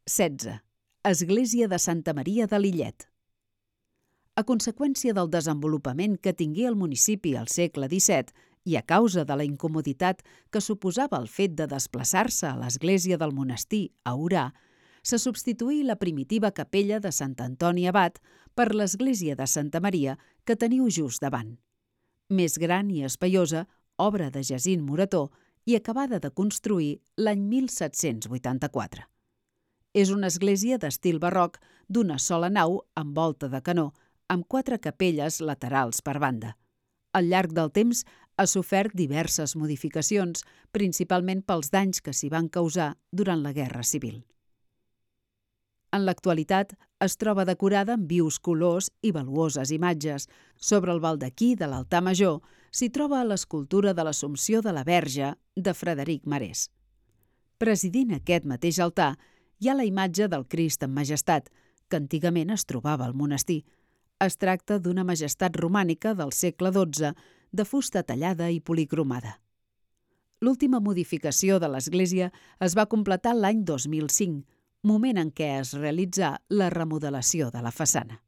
16. Església de Santa Maria de Lillet. A conseqüència del desenvolupament que tingué el municipi al segle XVII i a causa de la incomoditat que suposava el fet de desplaçar-se a l'església del monestir a Orà, se substituí la primitiva capella de Sant Antoni Abat per l'església de Santa Maria que teniu just davant. Més gran i espaiosa, obra de Jacint Morató i acabada de construir l'any 1784. És una església d'estil barroc d'una sola nau amb volta de canó, amb 4 capelles laterals per banda. Al llarg del temps ha sofert diverses modificacions, principalment pels danys que s'hi van causar durant la Guerra Civil. En l'actualitat es troba decorada amb vius colors i valuoses imatges. Sobre el baldaquí de l'altar major s'hi troba l'escultura de l'Assumpció de la Verge de Frederic Marès. Presidint aquest mateix altar hi ha la imatge del Crist en Majestat, que antigament es trobava al monestir. Es tracta d'una majestat romànica del segle XII, de fusta tallada i policromada. L'última modificació de l'església es va completar l'any 2005, moment en què es realitzà la remodelació de la façana.